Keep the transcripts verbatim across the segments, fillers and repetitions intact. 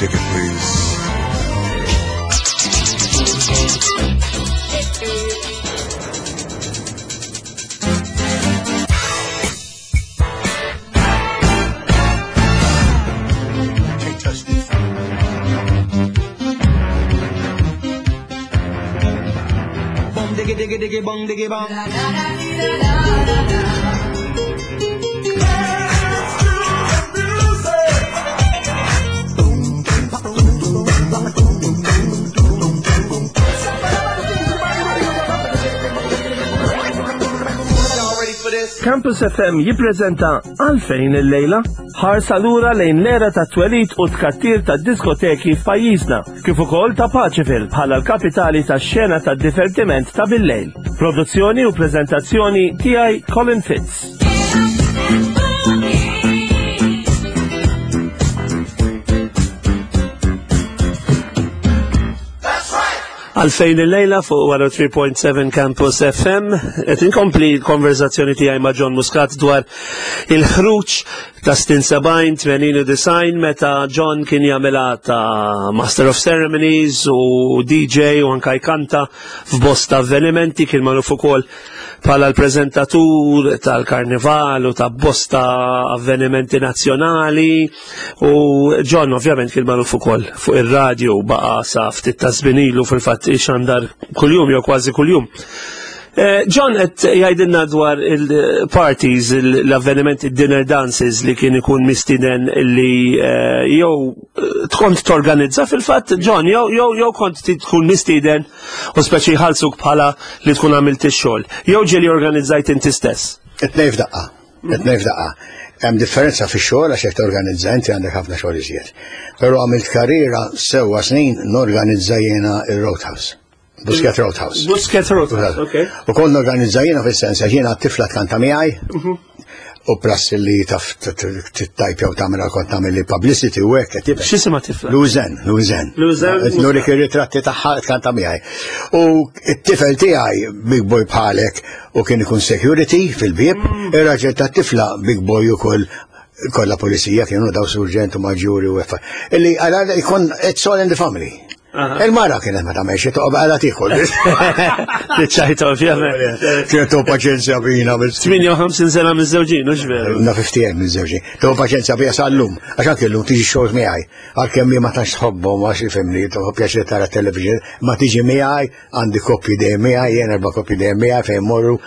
ticket, please. Can't touch this. Bum diggy diggy diggy bum diggy bum. Y'all ready for this? Campus F M jippreżenta Għalfejn il-lejla, ħarsa lura lejn l-era ta' twelid u tkattir ta' diskoteki f'pajjiżna, kif ukoll ta' Paceville bħala l-kapitali ta' xena ta' divertiment ta' bil-lejl. Produzzjoni u preżentazzjoni tiegħi, Colin Fitz. Għalfejn il-lejla fuq mija u tlieta punt seba' Campus F M, qed inkompli l-konverzazzjoni tiegħi ma' John Muscat dwar il-ħruġ ta' snin sebgħin, tmenin u disgħin, meta John kien jagħmilha ta' Master of Ceremonies u D J u anka jkanta f'bosta avvenimenti. Kien magħruf ukoll bħala l-preżentatur tal-karnival u ta' bosta avvenimenti nazzjonali, u John ovvjament kien magħruf ukoll fuq ir-radio, baqa' sa ftit ta' żmien ilu fil-fatt ixandar kuljum jew kważi kuljum. Eh, John qed jgħidilna dwar il-parties, l-avvenimenti, dinner dances li kien ikun mistiden li eh, jew eh, tkont torganizza fil-fatt, John, jew jew jew kont tkun mistiden u speċi jħallsuk bħala li tkun għamilt ix-xogħol. Jew ġieli organizzajt inti stess? It-tnejn f'daqqa. It-tnejn f'daqqa. Hemm differenza fix-xogħol, għax jekk torganizza inti għandek ħafna xogħol iżjed. Però għamilt karriera sewwa snin norganizza jiena ir-Roadhouse. Buskett Roadhouse. Buskett Roadhouse, ok. U kont norganizza jiena fis-sens għax jiena t-tifla tkanta miegħi u plus li taf tittajpja u tagħmel, kont tagħmel li publicity u hekk qed jibqa'. X'jisimha tifla? Luzen, Luzen. Luzen. Nurik ir-ritratti tagħha, tkanta miegħi. U t-tifel tiegħi big boy bħalek u kien ikun security fil-bieb, ir-raġel tat-tifla big boy ukoll, kollha pulizija kienu daw, surġent u maġġuri u effa. Illi għala ikun it's all in the family. Aha. Il-mara kienet ma tagħmelx, toqgħod għala tiekol. Ċajta ovvjament. Kienet tu paċenzja bina bil tmienja u ħamsin sena miż-żewġin, hux veru? Na fifty minn żewġi. Tu paċenzja bija sal-lum, għax anke llum tiġi xogħol miegħi. Għalkemm ma tantx tħobbhom, għax ifhimni, tħobb pjaċir tara television, ma tiġi miegħi, għandi koppji dejjem miegħi, jien erba' koppji dejjem miegħi fejn morru.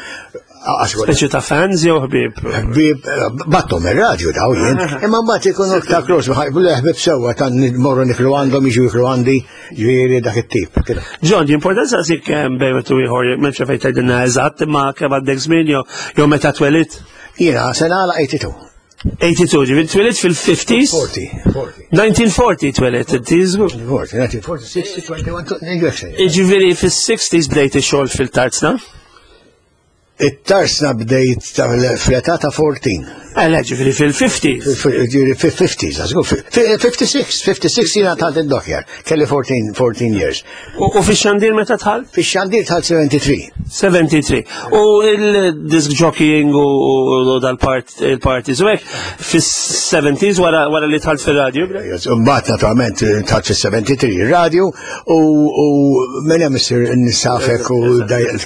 Speċi ta' fans jew ħbieb? Ħbieb, battom ir-radju daw jien, imma mbagħad ikunu ta' close, ħbieb sewwa ta' morru niklu għandhom, jiġu jiklu għandi, ġifieri dak it-tip. John, importanza sik kemm bejn u ieħor, m'hemmx fejn tgħidilna eżatt, imma kemm għandek żmien jew jew meta twelidt? Jiena se nagħlaq tmienja u tmenin. tmeninja u tnejn, ġifieri twelidt fil-fifties? forty, forty. elf disa' mija u erbgħin twelidt, inti żgur? forty, nineteen forty, sixty, twenty-one, twenty. Ġifieri fis-sixties bdejt ix-xogħol fil-tarzna? It-tarsna bdejt fl-età ta' erbatax. Eh, le, ġifieri fil-fifties. Ġifieri fil-fifties, għazgu, fifty-six, fifty-six jiena dħalt id-dockyard, kelli fourteen, fourteen years. U u fix-xandir meta dħalt? Fix-xandir dħalt sebgħa u sebgħin. sebgħa u sebgħin. U il-disc jockeying u u dal-part il-parties u hekk fis-seventies wara wara li dħalt fir-radio? Mbagħad naturalment dħalt fis-sebgħa u tlieta ir-radio u u minn hemm issir nisafek u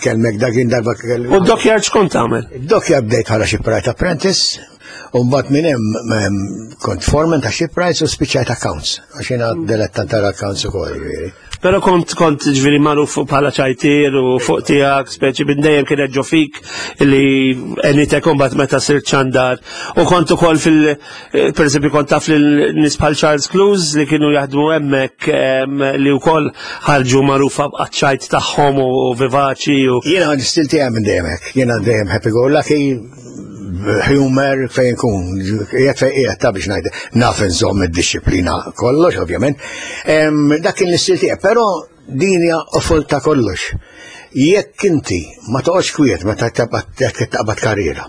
tkellmek dakin darba kellu. U d-dockyard x'kont tagħmel? Dockyard bdejt bħala shipwright apprentice u mbagħad minn hemm em, kont foreman ta' shipwrights u spiċċajt accounts, għax jiena dilettant tal-accounts ukoll, ġifieri. Però kont kont ġifieri magħruf bħala ċajtir u fuq tiegħek, speċi minn dejjem kienet ġo fik li għenitek imbagħad meta sirt xandar. U kont ukoll fil eh, per eżempju kont taf lil nies bħal Charles Clues li kienu jaħdmu hemmhekk, em, li wkoll ħarġu magħrufa b'ċajt tagħhom u vivaċi u Jiena l-istil tiegħi minn dejjem hekk. Jiena dejjem happy go lucky, humor fejn kun, qiegħed fejn qiegħed ta' biex ngħid, naf nżomm id-disciplina kollox ovvjament. Em, Dak kien l-istil tiegħi, però din hija qofol ta' kollox. Jekk inti ma toqgħodx kwiet meta taqbad taqbad karriera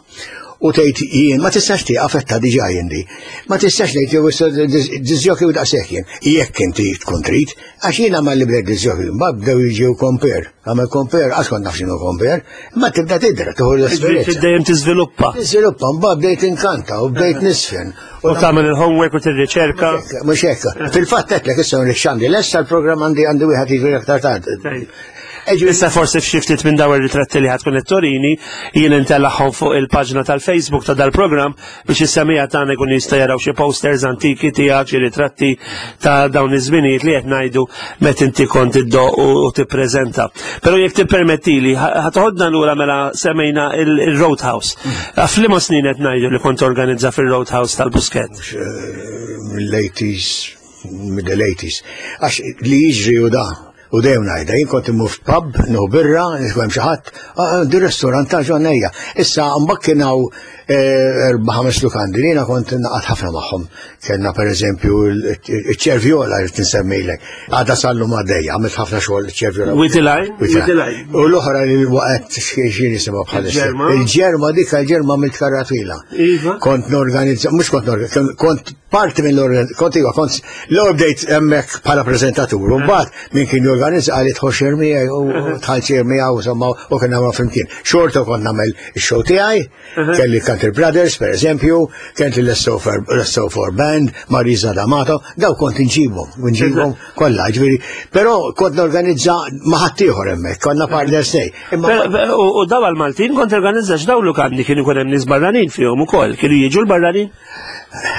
U tgħid jien ma tistax tieqaf etta diġà jien di. Ma tistax tgħid jew issa disc jockey u daqshekk jien. Jekk inti tkun trid, għax jiena malli bdejt disc jockey, mbagħad bdew jiġu compere. Għamel compere, għax kont naf x'inhu compere, ma tibda tidra, tieħu l-esperjenza. Dejjem tiżviluppa. Tiżviluppa, mbagħad bdejt inkanta u bdejt nisfen. U tagħmel il-homework u tirriċerka. Mhux hekk. Fil-fatt għedtlek issa x'għandi lesta l-programm għandi għandi wieħed jiġri aktar tard. Issa forsi f'xi ftit minn dawn ir-ritratti li ħa tkun turini jien intellagħhom fuq il-paġna tal-Facebook ta' dal-programm biex is-semmiegħa tagħna jkun jista' jaraw xi posters antiki tiegħek, xi ritratti ta' dawn iż-żminijiet li qed ngħidu meta inti kont iddoq u u tippreżenta. Però jekk tippermettili, ħa toħodna lura mela semmejna il-Roadhouse. F'liema snin qed ngħidu li kont organizza fil-Roadhouse tal-Buskett? Mill-eighties, mill-eighties. Għax li jiġri u da, u dejjem ngħidha, jien kont immur f'pub, nieħu birra, nisma' xi ħadd, "Ah, di restaurant ta' ġonnejja." Issa mbagħad kien hawn eh, erba' ħames lukandi li jiena kont naqgħod ħafna magħhom. Kellna pereżempju iċ-Ċervjola li tinsemmilek. Għadha sal-lum għaddejja, għamilt ħafna xogħol iċ-Ċervjola. Witiline? Witiline. U l-oħra li waqgħet xi nisimgħu bħalissa. Il-Ġerma? Il-Ġerma dik il-Ġerma għamilt karra twila. Iva. Kont norganizza, mhux kont norganizza, kont parti minn l kont iva, kont l bdejt hemmhekk bħala preżentatur, u mbagħad min kien jorganizza qal tħoxxir miegħi u tħallxir miegħu insomma u kien nagħmlu flimkien. Xorta kont nagħmel ix-show tiegħi, kelli Country Brothers per eżempju, kent l-S O four Band, Marisa D'Amato, daw kont inġibhom, nġibhom kollha, ġifieri, però kont norganizza ma' ħaddieħor hemmhekk, konna partners nej. Imma U u daw għal-Maltin kont organizza x'daw lukandi kienu jkun hemm nies barranin fihom ukoll, kienu jiġu l-barranin?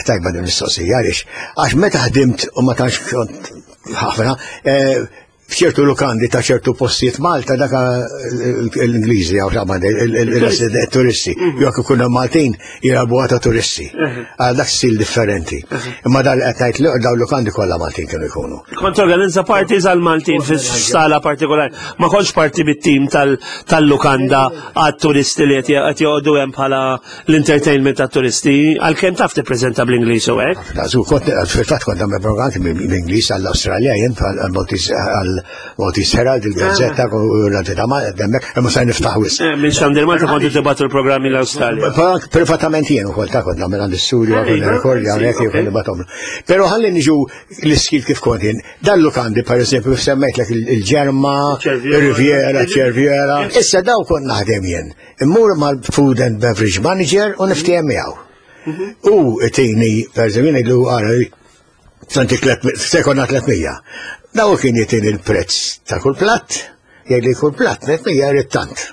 Tajba din mistoqsija, għaliex għax meta ħdimt u ma tantx kont ħafna, eh, f'ċertu lukandi ta' ċertu postijiet Malta daka l-Ingliżi jew x'għamma il-turisti, jekk ikunu Maltin jilagħbu ta' turisti. Għal dak stil differenti. Imma dal qed ngħid li daw lukandi kollha Maltin kienu jkunu. Kont organizza parties għal-Maltin fi sala partikolari. Ma kontx parti bit-tim tal- tal-lukanda għat-turisti li qed joqogħdu hemm bħala l-entertainment tat-turisti, għalkemm taf tippreżenta bl-Ingliż u hekk. Żgur, kont fil-fatt kont nagħmel programm bl-Ingliż għall-Awstralja jien għall-Maltese Herald, il-Gazzetta, u l-Gazetta ma' hemmhekk, imma se niftaħ wisq. Eh, Minn Xandir Malta kontu tibgħatu l-programmi l-Awstralja. Privatament jien ukoll ta' kont nagħmel għand studio Eh, kont iva, nirrekordja sì, hawnhekk ok. kont nibgħathom. Però ħalli niġu l-iskil kif kont jien. Dan lukandi pereżempju semmejtlek il-Ġerma, Il-Ċervjola. il-Riviera, ċervjera. Issa daw kont naħdem jien. Immur mal-Food and Beverage Manager u niftiehem miegħu. U tini, per eżempju, ngħidlu għara, santi sekonna tliet mija. Daw kien jtini il-prezz ta' kull platt, jgħidli kull platt, tliet mija jrid tant.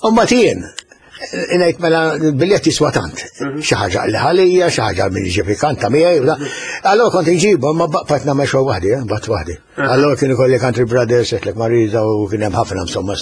U mbagħad jien, ngħid mela il-biljett jiswa tant. Xi ħaġa li ħalija, xi ħaġa min jiġi kanta miegħi. u da. Allora kont inġibu, ma baqgħet nagħmel xogħol waħdi, eh, bat waħdi. Allora kien ikolli Country Brothers, għedtlek Marisa u kien hemm ħafna insomma.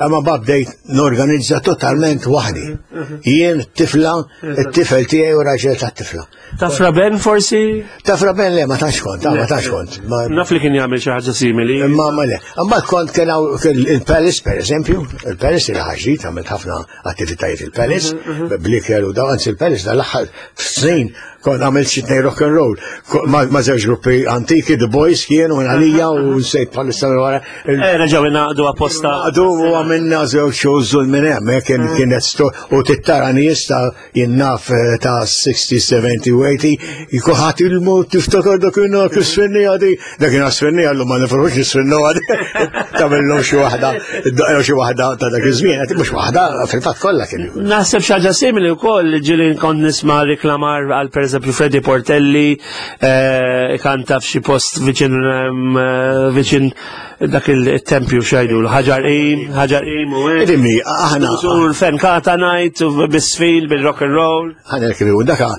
Imma bdejt norganizza totalment waħdi. Jien tifla, it-tifel tiegħi u raġel tat-tifla. Ta' Fra Ben forsi? Ta' Fra Ben le, ma tantx kont, ta' ma tantx kont. Ma- Naf li kien jagħmel xi ħaġa simili. Ma ma le. Mbagħad kont kien hawn kien il-Palace per eżempju, il-Palace il ħaġit għamilt ħafna attivitajiet il-Palace, bliker u daw, anzi il-Palace dal-aħħar snin kont għamilt xi tnejn rock and roll Ko- ma ma żewġ gruppi antiki, The Boys kienu minn għalija u nsejt bħalissa minn wara. il- Eh, reġgħu ingħaqdu apposta. Għadu u għamilna żewġ shows minn hemm, eh, kien kienet sto u tittara nies ta' jinnaf eh, ta' sixty, seventy u eighty, jkuħat il-mod tiftakar dakinhar kif sfinni għadi, dakinhar sfinni għallu ma nifrux nisfinnu għadi, tagħmilhom xi waħda, id-daqqa xi waħda ta' dak iż-żmien, mhux waħda, fil-fatt kollha kien. Naħseb xi ħaġa simili wkoll ġieli kont nisma' reklamar għal pereżempju Freddy Portelli eh, kanta f'xi post viċin em, eh, viċin dak il-tempju xajdu, Ħaġar Qim, Ħaġar Qim u hekk. Idimni, aħna, U l-fen kata night u bisfil bil-rock and roll. Aħna l-kienu, daka,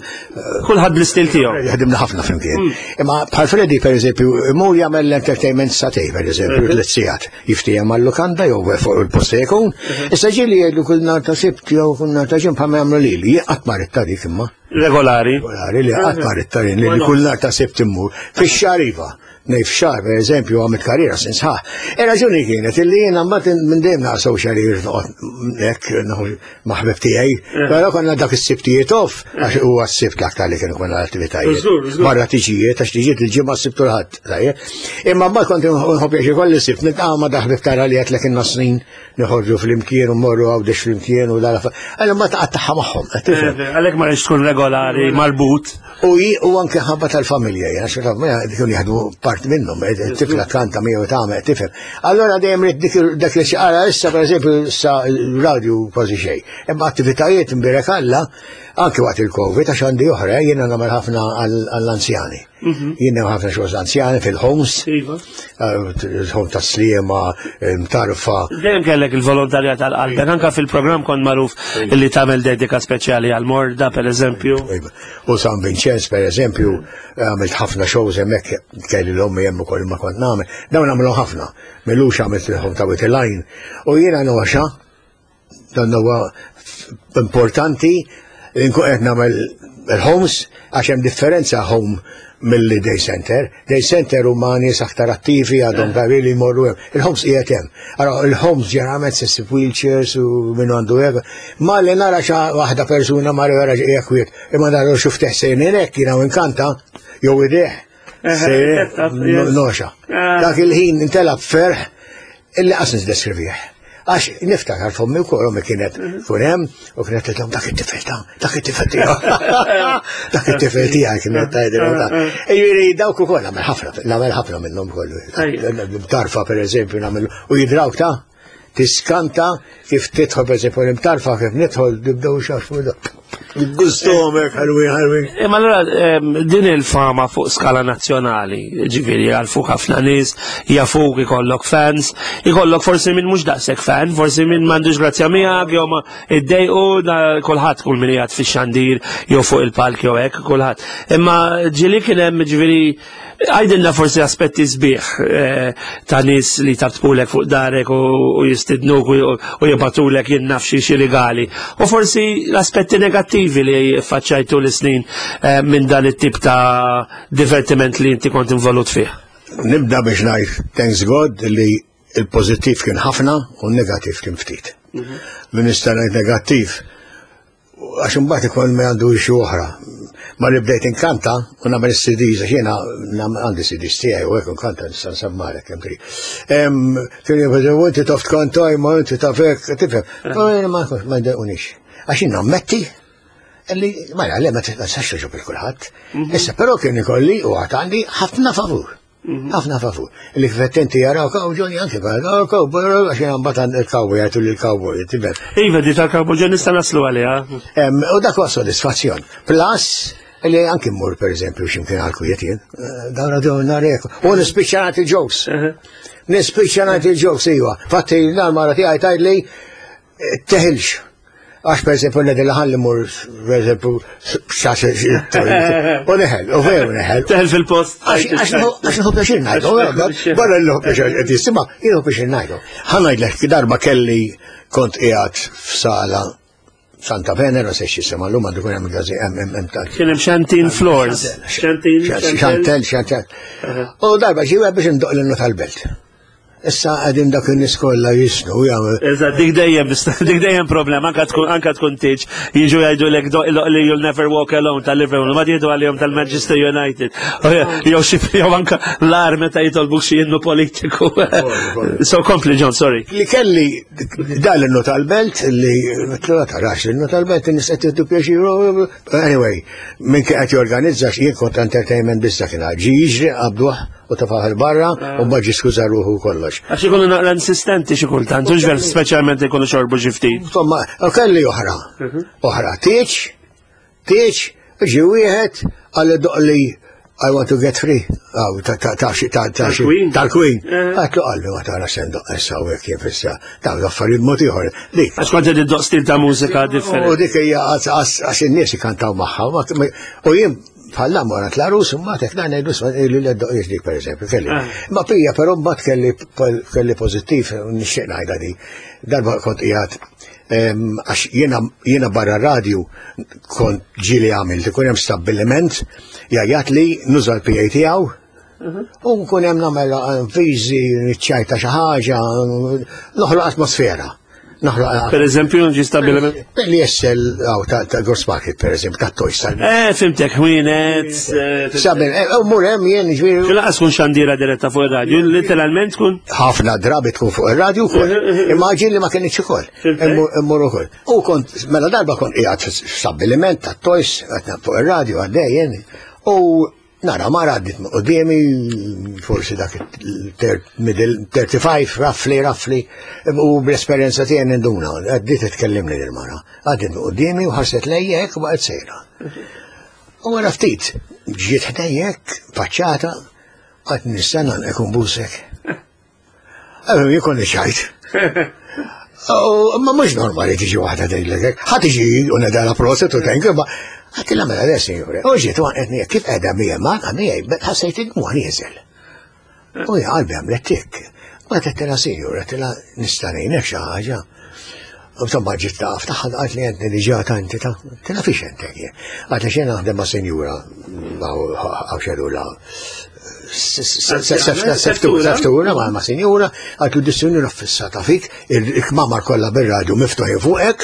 Kulħadd bl-istil tiegħu. Ħdimna ħafna flimkien. Imma bħal Freddy, per eżempju, mur jagħmel l-entertainment satej, per eżempju, tliet sigħat. Jiftiehem mal-lukanda jew fuq il-post se jkun. Issa ġieli jgħidlu kull nhar ta' Sibt jew kull nhar ta' Ġimgħa bħalma jagħmlu lili. Jien qatt ma ridt ta' dik imma. Regolari. Regolari li qatt ma ridt tarin li kull nhar ta' Sibt immur. Fix-xahar iva. Nej f'xahar, per eżempju, għamilt karriera snin sħaħ. Ir-raġuni kienet illi jiena mbagħad minn dejjem naqra social noqgħod hekk ma' ħbib tiegħi. Però konna dak is-Sibtijiet off, għax huwa s-Sibt l-aktar li kienu konna l-attivitajiet. Barra tiġijiet, għax tiġijiet il-Ġimgħa, s-Sibt u l-Ħadd. Imma mbagħad kont nħobb pjaċir kolli Sibt niltaqa' ma' dak ħbib tara li għetlek inna snin noħorġu flimkien u mmorru Għawdex flimkien u dala. Għallu ma taqattaħħa magħhom. Għalhekk ma rridx tkun regolari, marbut. U u anke ħabba tal-familja, jena xi kienu jaħdmu part minnhom, tifla kanta miegħu tagħmel tifhem. Allora dejjem rid dak li xi issa, pereżempju, issa radio kważi xejn. Imma attivitajiet, imbierek Alla, anke waqt il-Covid, għax għandi oħra, jiena nagħmel ħafna għall-anzjani. Jiena ħafna xogħol anzjani fil-homes, Iva. il-home ta' Sliema, Mtarfa. Dejjem kellek il-volontarjat għal qalbek, anka fil-programm kont magħruf illi tagħmel dedika speċjali għal morda, per eżempju. Iva. U San Vincenz, per eżempju, għamilt ħafna shows hemmhekk, kelli l-ommi hemm ukoll ma kont nagħmel. Dawn nagħmlu ħafna. M'ilux għamilt il-home ta' Wied il-Għajn. U jiena noxa, dan huwa importanti li nkun qed nagħmel il-homes, għax hemm differenza home mill day center. Day center huma nies aktar attivi, għadhom ta' li jmorru hemm. Il-homes qiegħed hemm. Allora il-homes ġeneralment se ssib wheelchairs u minnu għandu hekk. Ma li nara xa waħda persuna ma wara qiegħed kwiet, imma nara xuf teħsejn hekk jiena inkanta jew ideh. Noxa. Dak il-ħin intelab ferħ illi qas nisdeskrivih. Għax niftakar f'ommi wkoll, ommi kienet tkun hemm u kienet tgħidlhom, "Dak it-tifel ta' dak it-tifel tiegħek. Dak it-tifel tiegħek," kienet tgħidilhom ta'. Jiġifieri dawk ukoll nagħmel ħafna, nagħmel ħafna minnhom kollu. Tarfa, pereżempju, nagħmel u jidrawk ta' tiskanta kif tidħol, pereżempju, l-Imtarfa, kif nidħol nibdew xafu. Gustom hekk ħalwin ħalwin. Imma allura din il-fama fuq skala nazzjonali, ġifieri għal fuq ħafna nies, jafuk, ikollok fans, ikollok forsi minn mhux daqshekk fan, forsi minn m'għandux grazzja miegħek, jew ma iddejqu kulħadd, kull min qiegħed fix-xandir jew fuq il-palk jew hekk kulħadd. Imma ġieli kien hemm, ġifieri, għajdilna forsi aspetti sbieħ eh, ta' nies li tabtkulek fuq darek u jistidnuk u jibatulek jien naf xi rigali. U forsi l-aspetti negattivi li faċċajtu l-snin eh, minn dan it-tip ta' divertiment li inti kont involut fih. Nibda biex ngħid thanks God li il-pożittiv kien ħafna u n-negattiv kien ftit. Mhm. Min nista' ngħid negattiv, għax imbagħad ikun ma għandu xi oħra. Ma li bdejt inkanta u nagħmel is-C Ds, għax jiena għandi C Ds tiegħi u hekk inkanta, nista' nsemmarek kemm trid. Kien jibdew, "Inti taf tkanta, imma inti taf hekk," tifhem. Ma ma jdejqunix. Għax jien nammetti li ma le ma tistax toġob il kulħadd. Mhm. Issa però kien ikolli u għad għandi ħafna favur. Mhm. Ħafna favur. Li kif jaraw kaw Johnny anke bħal cowboy, għax jien mbagħad il-cowboy jgħidu li l-cowboy, tifhem. Iva, di tal-cowboy Johnny nista' naslu għaliha. U dak huwa sodisfazzjon. Plus, li anki mmur, per eżempju, x'imkien għal-kwiet jien, eh, dawra dawn narek, u nispiċċa nagħti jokes. Nispiċċa nagħti jokes, iva. Fatti l-mara tiegħi tgħidli eh, teħilx. Għax per eżempju nedil ħalli mur, per eżempju, u neħel, u veru neħel. Teħel fil-post. Għax nħu pjaċir ngħidu, barra l pjaċir qed jistima, jieħu pjaċir ngħidu. Ħa ngħidlek, darba kelli kont qiegħed f'sala Santa Venera, se x'jisima l-lum, għandu kun hemm gazi hemm hemm tal. Kien hemm Xantin Floors. Xantin. Chantel, Chantel. U darba ġie biex indoq l tal-belt. Issa għadin dak in-nies kollha jisnu jagħmel. Eżatt, dik dejjem dik dejjem problema, anka tkun anka tkun tiġ jiġu jgħidu lek li "You'll Never Walk Alone" tal-Liverpool, ma jgħidu għalihom tal-Manchester United. Jew xi jew anka l-ar meta jitolbuk xi innu politiku. So kompli, John, sorry. Li kelli dal innu tal-belt li tarax l-innu tal-belt, in-nies qed jieħdu pjaċir. Anyway, minn kien qed jorganizza, jien kont entertainment biss, kien ġi jiġri qabduh u tafaħ il-barra u baġi skuża ruħu kollox. Għax ikunu naqra insistenti xi kultant, u ġver speċjalment ikunu xorbu xi ftit. Insomma, u kelli oħra. Mhm. Oħra, tieċ, tieċ, ġi wieħed għalli doqli "I Want to Get Free". Aw, ta' ta' ta' ta' ta' tal-Queen. Eh. Għatlu qalbi ma tara sendoq issa u hekk kif issa. Ta' affarijiet mod ieħor. Dik. Għax kont qed iddoq stil ta' mużika differenti. U dik hija għax in-nies ikantaw magħha. U jien bħalla mora tlarus, imma tek ngħidu li l-doq dik, per eżempju, kelli. Ah. Ma pija, però mbagħad kelli kelli pożittiv, nixtieq ngħidha di. Darba kont qiegħed Għax jiena barra radio kont ġieli għamilt, ikun hemm stabbiliment jgħajjat li nuża l-P A tiegħu u nkun hemm nagħmel viżi, niċċajta xi ħaġa, noħloq atmosfera. Per eżempju, ġi stabbiliment? Li jessel, għaw, ta' Gross Market, per eżempju, ta' Toys. Eh, fimtek, ħwienet. Sabi, u mur hemm jien, ġifieri. Laqas tkun xandira diretta fuq ir-radju, literalment tkun? Ħafna drabi tkun fuq ir-radju wkoll. Imma ġieli ma kienx ukoll. Immur ukoll. U kont, mela darba kont qiegħed stabbiliment ta' Toys, fuq ir-radju għaddej jien. U nara, mara għaddit quddiemi, forsi dak middle thirty-five, roughly, roughly, u bl-esperjenza tiegħi ninduna, għaddit tkellimni l-mara. Għaddit quddiemi u ħarset lejja hekk u baqgħet sejra. U wara ftit, ġiet ħdejja hekk, faċċata, għad nistenna nkun busek. Għabem, jien konni ċajt. Ma mhux normali tiġi waħda tgħidlek hekk. Ħa tiġi u nedala proset u thank you, ma għedtilha mela le, sinjure. U ġiet għanqetni kif qiegħda miegħi ma miegħi, ħassejt id-dmugħ nieżel. U hija qalbi għamlet tik. Ma għedtilha sinjura, għedtilha nista' ngħinek xi ħaġa. U insomma ġiet taqaf tagħha qalt li għedni diġà tanti ta' għedtilha fiex entek jien. Għalt li xejn naħdem ma' sinjura għaw xedula. Seftura ma' ma' sinjura, għalt li dis-sinjura fissata fik, il-kmamar kollha bir-radju miftuħin fuqek,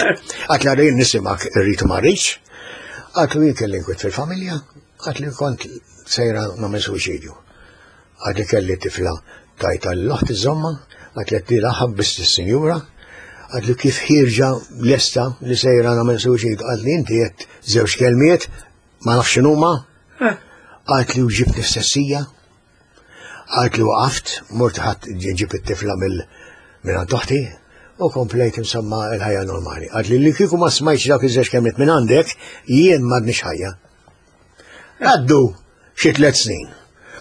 għalt li għarrin nisimak irrid ma rridx. Għalt li jien kelli nkwit fil-familja, għalt li kont sejra nagħmel suwiċidju. Għalt li kelli tifla tajta l-oħt iżomma, għalt li għedt ħabbist is-sinjura, għalt li kif ħirġa lesta li sejra nagħmel suwiċidju, għalt li inti qed żewġ kelmiet, ma nafx x'inhuma, għalt li uġibt nistessija, għalt li waqaft, mort ħadd ġib it-tifla minn għand oħti, u komplejt insomma il-ħajja normali. Għalt li li kieku ma smajtx dak iż-żewġ kelmiet minn għandek, jien m'għadniex ħajja. Għaddu xi tliet snin.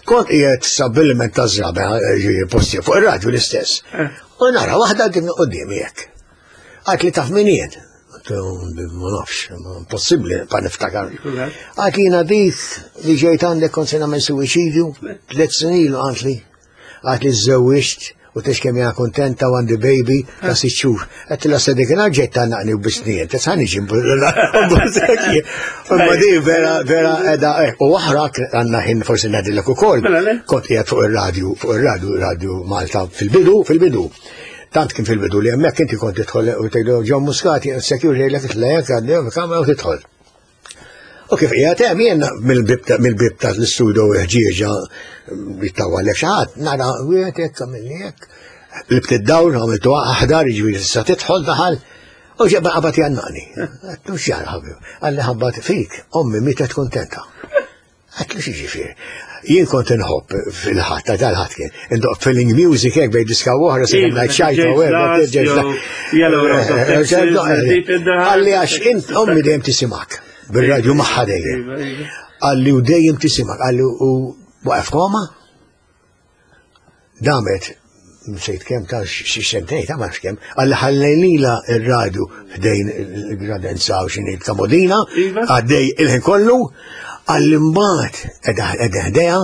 Kont qiegħed stabbiliment ta' żrabe, ġifieri posti fuq ir-radju l-istess. U nara waħda din quddiemi hekk. Għalt li taf min jien. Ma nafx, impossibbli pa niftakar. Għalt li jiena dik li ġejt għandek kont se nagħmel suwiċidju, tliet snin ilu għalt li. Għalt li żżewwiġt u tex kemm jiena kuntenta u għandi baby ta' sitt xhur. Għedtilha sa dik inhar ġejt tgħannaqni u bisnien, ta' niġi Imma di vera, vera edha, u oħra għandna ħin forsi ngħidilek ukoll. Kont qiegħed fuq ir-radju, fuq ir-radju, Radio Malta fil-bidu, fil-bidu. Tant kien fil-bidu li hemmhekk inti kont tidħol u tgħidu John Muscat, security jgħidlek itlejek għandhom kamera u tidħol. U kif qiegħed hemm jien mill-bib ta' l-istudio ħġieġa jittawalek xi ħadd, nara wieħed hekk għamilni hekk. Libt id-dawl, għamiltu aħdar, jiġifieri issa tidħol daħal, u ġebba qabad jannaqni. Għedtlu x'jara ħabib, qalli ħabbat fik, ommi mietet kuntenta. Għedtlu x'jiġifieri. Jien kont inħobb fil-ħadd, ta' dal-ħadd kien, indoq feeling music hekk bejn diska u oħra, se ngħid xajta u hekk, Qalli għax int ommi dejjem tisimak, bir-radju magħha dejjem. Qalli u dejjem tisimak, qalli u waqaf koma. Damet, nsejt kemm ta' xi sentejn, ta' ma nafx kemm, qalli ħallejnila r-radju ħdejn il-gradenza u x'inhi kamodina, għaddej il-ħin kollu, qalli mbagħad qiegħda ħdejha,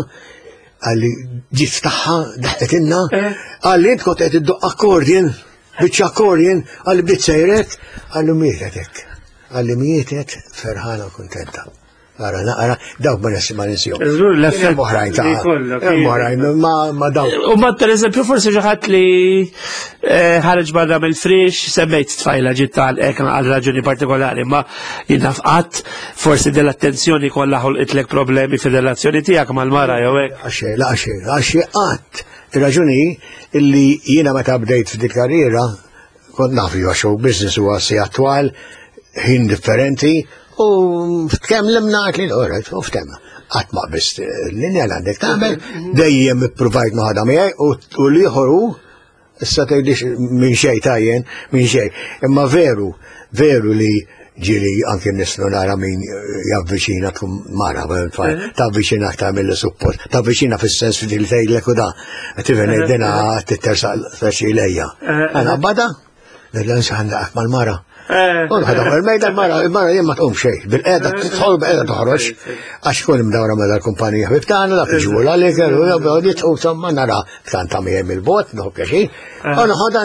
qalli ġiet tagħha daħqetilna, qalli int kont qed iddoq accordion, biċċa accordion, qalli bdiet sejrek, qalli mietet hekk. Qalli mietet ferħana u kuntenta. Ara, naqra, dawk ma nsi ma ninsihom. Żgur l-effett oħrajn ta' li jkollok, hemm oħrajn, ma, ma dawk. U ma per eżempju forsi xi ħadd li ħareġ barra mill-frix, semmejt tfajla ġiet tal-ek għal raġuni partikolari, ma jien naf qatt forsi dell-attenzjoni kollha ħolqitlek problemi fir-relazzjoni tiegħek mal-mara jew hekk. Għaxej, la għaxej, għaxej qatt. Ir-raġuni illi jiena meta bdejt f'dik karriera, kont naf li huwa show business huwa sigħat twal, ħin differenti, u kemm limna għat li l-oret, u ftem. Qatt ma qbist l-linja li għandek tagħmel, dejjem ippruvajt noħodha miegħi u l-ieħor hu, issa tgħidlix minn xejn tajjen, minn xejn. Imma veru, veru li ġieli anke nislu nara min javviċina tkun mara, tavviċina aktar mill suppost, tavviċina fis-sens li tgħidlek u da, tifhem dina tittersaq xi lejja. Għana bada, ngħidla nsa għandek mal-mara. Eh. U nħadha fuq il-mejda, il-mara, il-mara jien ma tqum xejn, bil-qeda tidħol bil-qeda toħroġ, għax kun imdawra ma dal-kumpanija ħbib tagħna, dak iġibu l-għaliker, u jabbew nitqu insomma nara tkanta miegħi mill-bot, nieħu pjaċir. U noħodha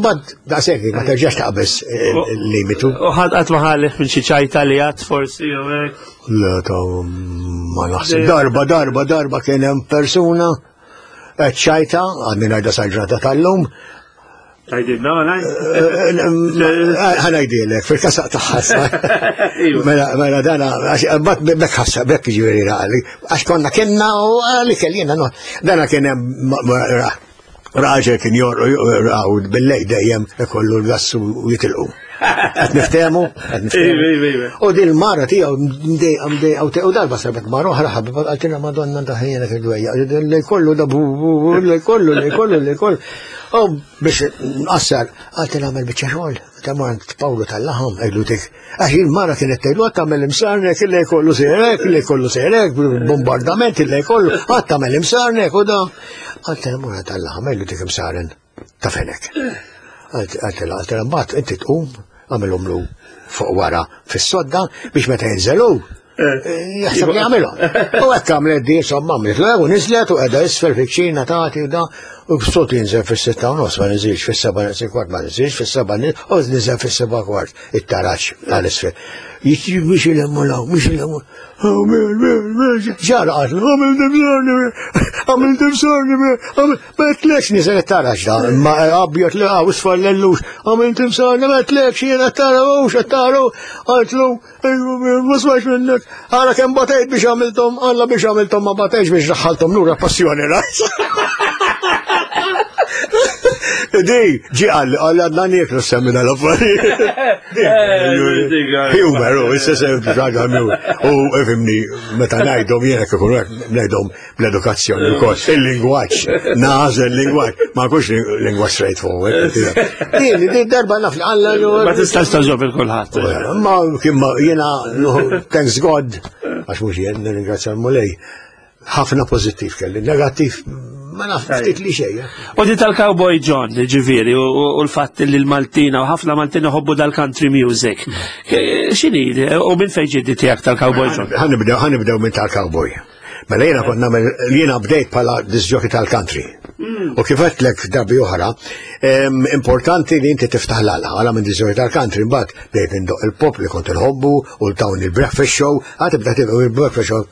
mbagħad daqshekk ma terġax taqbeż il-limitu. U ħadd qatt ma ħalef minn xi ċajta li għad forsi jew hekk. Le ta' ma naħseb. Darba, darba, darba kien hemm persuna qed ċajta, għadni ngħidha sal-ġrata tal-lum, Tgħidilna, ngħid? Ħa ngħidilek, fil-kasaq tagħha. Iva. Mela, mela dana, għax mbagħad bekk ħassa, bekk ġifieri raqali, għax konna kienna u għali kellina, no. Dana kien hemm ma- ma- ra- raġel kien jorqu bil-lejl dejjem ikollu l-gass u jitilqu. Qed niftehmu, qed niftehmu. Iva, iva, iva. U din il-mara tiegħu mdejqa mdejqa u te- u darba sabet mara oħra ħabiba qaltilha Madonna daħjena fil-dwejja. Li kollu da bu bu bu, li kollu li kollu li kollu. U biex nqassar qaltilha għamel biċċa xogħol. Ta' mort Pawlu tal-laħam għidlu dik. Għax il-mara kienet tgħidlu għad tagħmel imsarnek li kollu sejrek, li kollu sejrek, bombardament li kollu, għad tagħmel imsarnek u da. Qaltilha mara tal-laħam għidlu dik imsaren ta' fenek. Għaltela, għaltela, mbagħad inti tqum, għamilhom fuq wara fis-sodda biex meta jinżelu jaħseb li għamilhom. U hekk għamlet di, insomma, għamlet l u niżlet u qiegħda isfel fiċ-ċina tagħti u da, u b'sot jinżel fis-sitta u nofs ma niżilx fis-seba' naqs kwart ma niżilx fis-seba' u niżel fis-seba' kwart it-taraġ għal-isfel. Jiġi biex ilemmu law, biex ilemmu. Ġara qatlu, għamil dimsarni, għamil dimsarni, ma tlekx niżel it-taraġ da, ma abjad li għaw isfar l-ellux, għamil dimsarni, ma tlekx jiena t-taraw, xattaru, għaltlu, ma smajx minnek, għara kem batejt biex għamiltom, għalla biex għamiltom ma batejx biex daħħaltom lura passjoni ras. Di, ġi għalli, għalli għadna nieklu semmi dal-affarijiet. Humor, u issa se ġaga U ifhimni, meta ngħidhom jiena kif hekk ngħidhom bl-edukazzjoni wkoll. Il-lingwaġġ, nażel il-lingwaġġ, ma nkunx lingwaġġ straightforward. Din, din darba naf li għalla Ma tistax tagħġob il kulħadd. Ma kien ma jiena thanks God, għax mhux jien nirringrazzja l-Mulej. Ħafna pożittiv kelli, negattiv ma naf ftit li xejn. U di tal-Cowboy John, ġifieri, u u l-fatt li l-Maltina, u ħafna Maltina ħobbu dal-country music. X'inhi, u minn fejn ġiet tiegħek tal-Cowboy John? Ħa nibdew ħa nibdew minn tal-cowboy. Mela jiena kont nagħmel jiena bdejt bħala disc jockey tal-country. U kif għedtlek darbi oħra, em, importanti li inti tiftaħ l-għala, għala minn disc jockey tal-country, mbagħad bdejt indoq il-pop li kont inħobbu u l-tawn il-breakfast show, għad tibda tibda il-breakfast show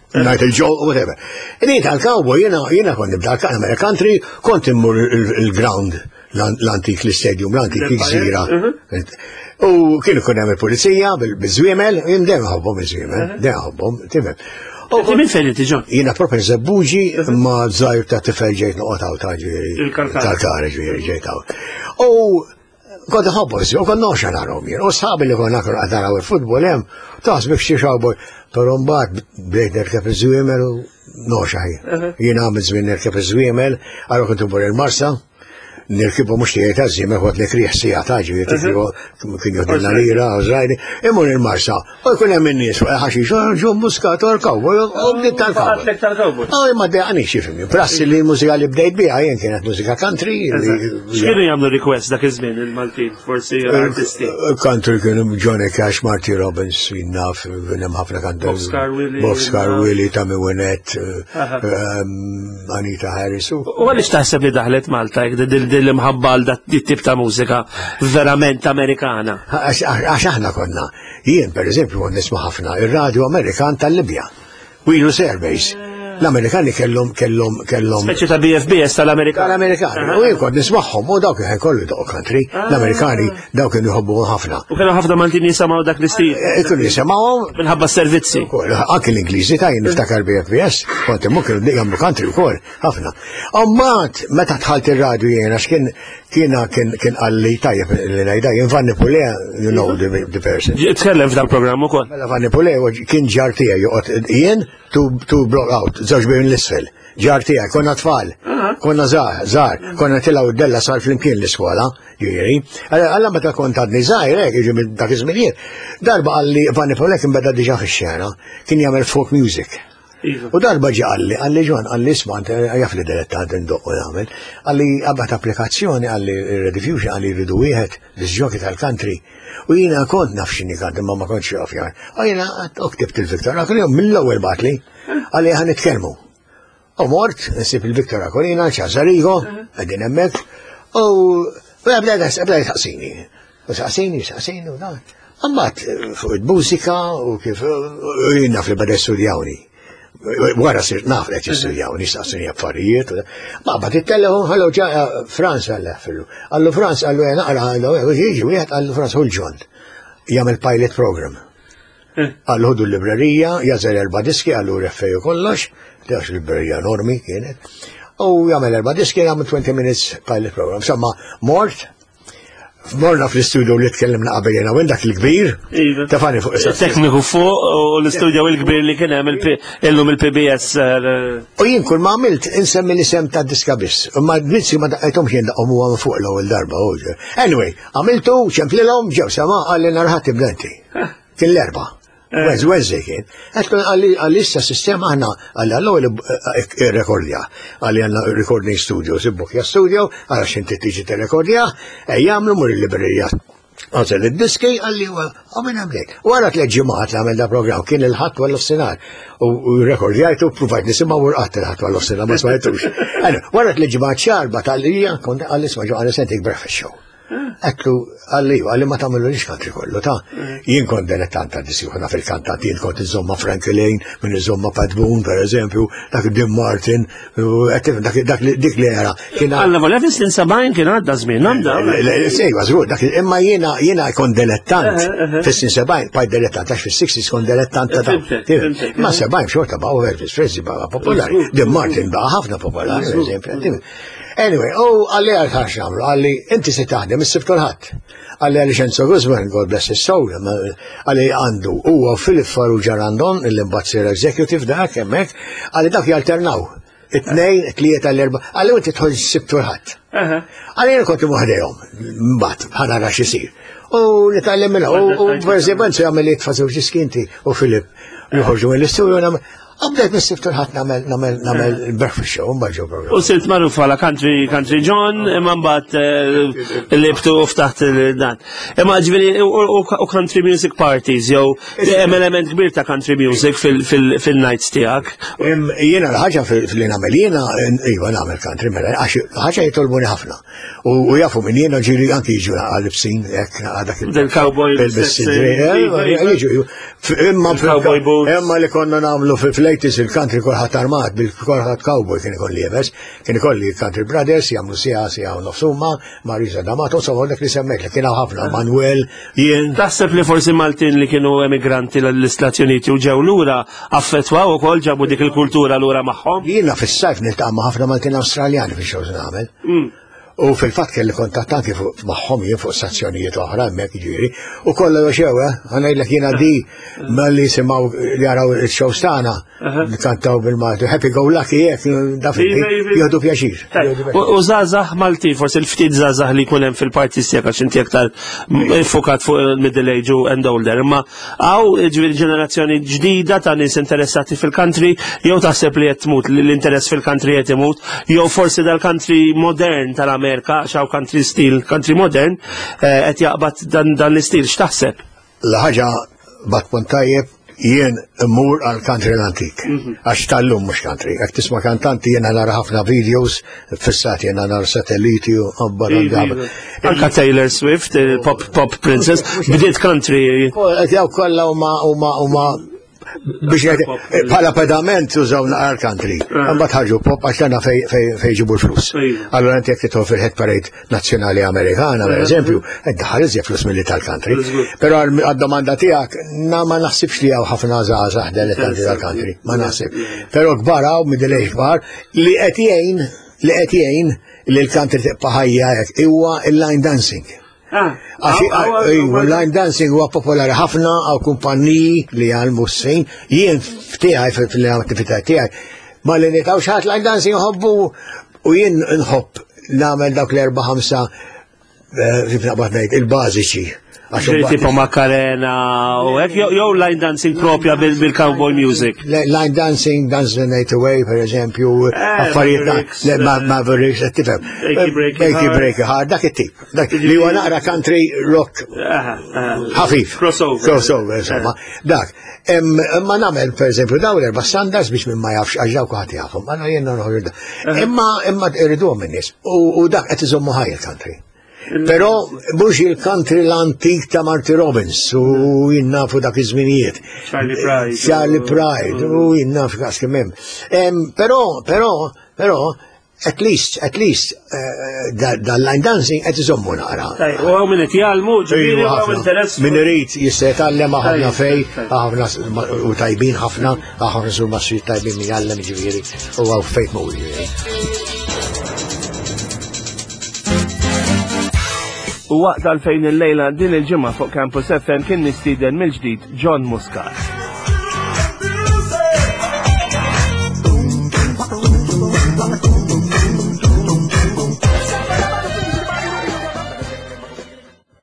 Night il-Joe, whatever. Inni tal-cowboy, jiena jiena kont nibda nagħmel country, kont immur il-ground, l-antik l-stadium, l-antik il-gżira. U kienu kun hemm il-pulizija bil-żwiemel, jien dejjem ħobbhom iż-żwiemel, dejjem ħobbhom, tifhem. Inti minn fejn inti John? Jiena proprio Żebbuġi ma żgħir ta' tifel ġejt noqgħod hawn ta' ġifieri. Il-Kalkara. Kalkara ġifieri ġejt hawn. U kont ħobbu, u kont noxa narahom jien. U sħabi li konna kienu qed naraw il-futbol hemm, taħseb xi cowboy. Però mbagħad bdejt nerkeb iż-żwiemel u noxa jien. Jien għamil żmien nerkeb iż-żwiemel, għalhekk kont immur il-Marsa, nirkibu mhux tiegħi ta' żwiemel, kont nikrih sija ta' ġifieri kien joħdilna lira, żrajni, immur il-Marsa. U jkun hemm in-nies fuq il-ħaxix, John Muscat u l-cowboy, u bdiet tal-cowboy. Għatlek tal-cowboy. Ah, ma dejqani xifimni. Prassi li l-mużika li bdejt biha jien kienet mużika country. li- X'kienu jagħmlu request dak iż-żmien il-Maltin, forsi artisti? Country kienu Johnny Cash, Marty Robbins, naf, hemm ħafna country. Boxcar Willie. Boxcar Willie, Tammy Wynette, Aha. um, Anita Harris. u- U għaliex taħseb li daħlet Malta jekk dil dil imħabba għal dat tip ta' mużika verament Amerikana? Għax għax aħna konna, jien per eżempju kont nisma' ħafna ir-radio Amerikan tal-Libja, Wheelus Airbase. L-Amerikani kellhom kellhom kellhom Speċi ta' B F B S tal-Amerikana. tal-Amerikani. U jien kont nismagħhom u dawk kien kollu doq country. L-Amerikani dawk kienu jħobbu ħafna. U kienu ħafna Maltin jisimgħu dak l-istil Kienu jisimgħuhom minħabba s-servizzi. ukoll, anke l-Ingliżi ta' jien niftakar B F B S, kont immu kienu jagħmlu country wkoll, ħafna. Mbagħad meta dħalt ir-radio jien għax kien kiena kien kien qalli tajjeb li ngħidha jien Vanni Pulè, you know the, the person. Tkellem f'dal programm ukoll. Mela Vanni Pulè kien ġar tiegħi joqgħod jien two two block out, żewġ bejn l-isfel. Ġar tiegħi, konna tfal, konna żgħar, żgħar, konna tilgħu d-della sar flimkien l-iskola, ġifieri. Alla meta kont għadni żgħir, hekk, jiġi minn dak iż-żminijiet. Darba qalli Vanni Pulè kien beda diġà fix-xena, kien jagħmel folk music. Iva. U darba ġi qalli, qalli John, qalli isma', jaf li dilettant indoqq u nagħmel, qalli għabat applikazzjoni, qalli Rediffusion, qalli jridu wieħed disc jockey tal-country. U jiena kont naf x'inhi country, ma ma kontx jaf jar. U jiena ktibt il-Victor Aquilina, mill-ewwel bagħatli, qalli ħa nitkellmu. U mort, nsib il-Victor Aquilina, ċazarigo, qegħdin hemmhekk, u bda bda saqsini. U saqsini, saqsini, u dan. Imbagħad fuq il-mużika u kif u jien naf li bada studjawni. Wara sirt naf li qed jistudjawni, saqsini affarijiet. Ma bagħat it-telefon, ħallu ġa Franz għalla fillu. Qallu Franz, qallu naqra, qallu jiġi wieħed, qallu Franz hu l-John. Jagħmel pilot program. Qallu ħudu l-librerija, jagħżel erba' diski, qallu reffeju kollox, għax librerija enormi kienet. U jagħmel erba' diski, jagħmel twenty minutes pilot program. Insomma, mort, morna fl-istudio li tkellimna qabel jena u dak il-kbir, Iva. tefani fuq is Tekniku fuq u l-istudio il-kbir li kien hemm illum il-P B S. eh, U jien kull ma għamilt insemmi l-isem ta' diska biss. Ma d-dizzi ma daqqajthomx jien daqqhom huwa fuq l-ewwel darba. u- Anyway, għamiltu, ċemplilhom, ġew sama, qalli nhar Ħadd tibda inti. Kien l-Erbgħa. Wez, Wednesday kien. Għedtlu qalli qalli issa sistema aħna qalli għallu rekordja. Qalli għandna recording studio, sibbukja studio, għara xinti tiġi t-rekordja, e jagħmlu mur il-librerija. Għażel id-diski, qalli u minn għamlek. Wara tliet ġimgħat li għamel da program, kien il-Ħadd wara nofsinhar. U rekordjajtu, provajt nisimgħu u rqadt il-Ħadd wara nofsinhar, ma smajtux. Wara tliet ġimgħat xarba tal-lija, kont qalli isma' ġo għalli sentik breakfast show. Għedtlu, qalli, qalli ma tagħmlu lix country kollu, ta' jien kont dilettant ta' diski ħuna fil-kantant, jien kont iżomma Frankie Lane, minn iżomma Pat Boone, per eżempju, dak Dean Martin, u għed dak dak li- dik li era. Kien Alla volja fis-snin sebgħin kien għadda żmien, għandha. Sejwa, żgur, dak imma jiena jiena kont dilettant fis-snin sebgħin, bqajt dilettant, għax fis-sixties kont dilettant ta' dawn. Fhimtek, fhimtek. Ma sebgħin xorta baqgħu Elvis Presley baqa' popolari, Dean Martin baqa' ħafna popolari, per eżempju. Anyway, u qalli għal ħax nagħmlu, qalli inti se taħdem is-Sibt u l-Ħadd. Qalli għalli Enzo Guzman, God bless his soul, qalli għandu huwa Philip Farrugia Randon, il-imbagħad sir executive dak hemmhekk, qalli dak jalternaw. It-tnejn, it-tlieta, l-erba, qalli inti tħoll is-Sibt u l-Ħadd. Qalli jien kont imwaħdejhom, mbagħad ħa nara x'isir. U nitgħallem minnha, u per eżempju Enzo jagħmel jitfa' żewġ diskinti u Philip joħorġu mill-istudio nagħmel. Bdejt mis-Sibt u l-Ħadd nagħmel nagħmel nagħmel breakfast show, mbagħad ġew program. U sirt magħruf għala country, country John, imma mbagħad eh, libtu u ftaħt il- dan. Imma ġifieri u- u u country music parties, jew hemm element kbir ta' country music fil-nights tiegħek. Im- Jiena l-ħaġa fil-li nagħmel jiena, iva nagħmel country mela, għax ħaġa jitolbuni ħafna. U u jafu minn jiena ġiri anki jiġu għal-libsin, hekk dak il- Del-cowboy bil-sidri, iva, iva. jiġu. Imma Il-cowboy boots. Imma li konna nagħmlu fil-eighties il-country kulħadd armat, bil-kulħadd cowboy kien ikolli jebes, kien ikolli Country Brothers, jagħmlu siegħa siegħa u nofs huma, Marisa D'Amato, insomma dak li semmejt li kien hawn ħafna, Manuel, jien. Taħseb li forsi Maltin li kienu emigranti l-Istati Uniti u ġew lura affettwaw ukoll ġabu dik il-kultura lura magħhom? Jiena fis-sajf niltaqa' ma' ħafna Maltin Awstraljani fix-shows nagħmel. U fil-fatt kelli kontatt anki fuq magħhom jien fuq stazzjonijiet oħra hemmhekk jiġifieri. U kollha joxew, eh, ħa ngħidlek jiena di malli jisimgħu li jaraw il-shows tagħna kantaw bil-Malti, happy go lucky hekk, da Iva, iva. jieħdu pjaċir. Jieħdu pjaċir. U u żgħażagħ Malti, forsi l-ftit żgħażagħ li jkun hemm fil-parties tiegħek għax inti aktar fukat fuq il-middle age u and older, imma hawn ġifieri ġenerazzjoni ġdida ta' nies interessati fil-country, jew taħseb li qed tmut li l-interess fil-country qed imut, jew forsi dal-country modern tal-Amerika, xaw country style, country modern, eh, qed jaqbad dan dan l-istil, x'taħseb? L-ħaġa bat punt tajjeb, jien immur għal country l-antik. Għax tal-lum mhux country. Jekk tisma' kantanti jiena nara ħafna videos, fissat jiena nara satelliti u għabbar għal Anka Taylor Swift, il-pop pop princess, bdiet country. Jaw kollha huma huma huma biex ngħid, bħala pedament użaw naqra country. Imbagħad ħarġu pop għax tagħna fej fej fej ġibu l-flus. Iva. Allora inti jekk tidħol fil-hit parade nazzjonali Amerikana, per eżempju, iddaħħal iżjed flus milli tal-country. Però għad-domanda tiegħek, na ma naħsibx li hawn ħafna żgħażagħ dilettanti tal-country, ma naħsib. Però kbar hawn middle age kbar li qed jgħin li qed jgħin li l-country tibqa' ħajja hekk huwa il-line dancing. Għax iva, line dancing huwa popolari ħafna għaw kumpanniji li jgħallmu s-sin, jien ftiegħi fil-attività tiegħi, ma li nitaw xaħat line dancing jħobbu u jien nħobb nagħmel dawk l-erba' ħamsa eh, kif naqbad ngħid il-bażiċi. Għax Tipo Macarena u hekk, jew jew line dancing propja bil- bil-cowboy music. Line dancing, Dance the Night Away, per eżempju, affarijiet ta' Mavericks, le, Ma- eh, Mavericks, qed tifhem. Achy Breaky Achy Heart. Breaky Heart, dak it-tip. Dak li huwa naqra country rock Aha, aha. ħafif. Crossover. Crossover, insomma. Dak. Imma nagħmel per eżempju daw l-erba' standards biex minn ma jafx għax dawk ħadd jafhom. Għana jiena noħorġu da. Imma imma irriduhom in-nies. U u dak qed iżommu ħaj il-country. Però mhux il-country l-antik ta' Marty Robbins u jien nafu dak iż-żminijiet. Charlie Pride. Charlie Pride u jien naf kas kemm hemm. Em, Però, però, però, at least, at least, eh, dal-line dancing qed iżommu naqra. Taj, U hawn min qed jgħallmu, ġifieri Iva, hawn ħafna. interess. Min irid jista' jitgħallem ħafna Tajjeb, fej, tajjeb. ħafna u tajbin ħafna, ħafna sur masri tajbin min jgħallem ġifieri u hawn fejn tmur ġifieri. U waqt għalfejn il-lejla din il-ġimgħa fuq Campus F M kien mistieden mill-ġdid John Muscat.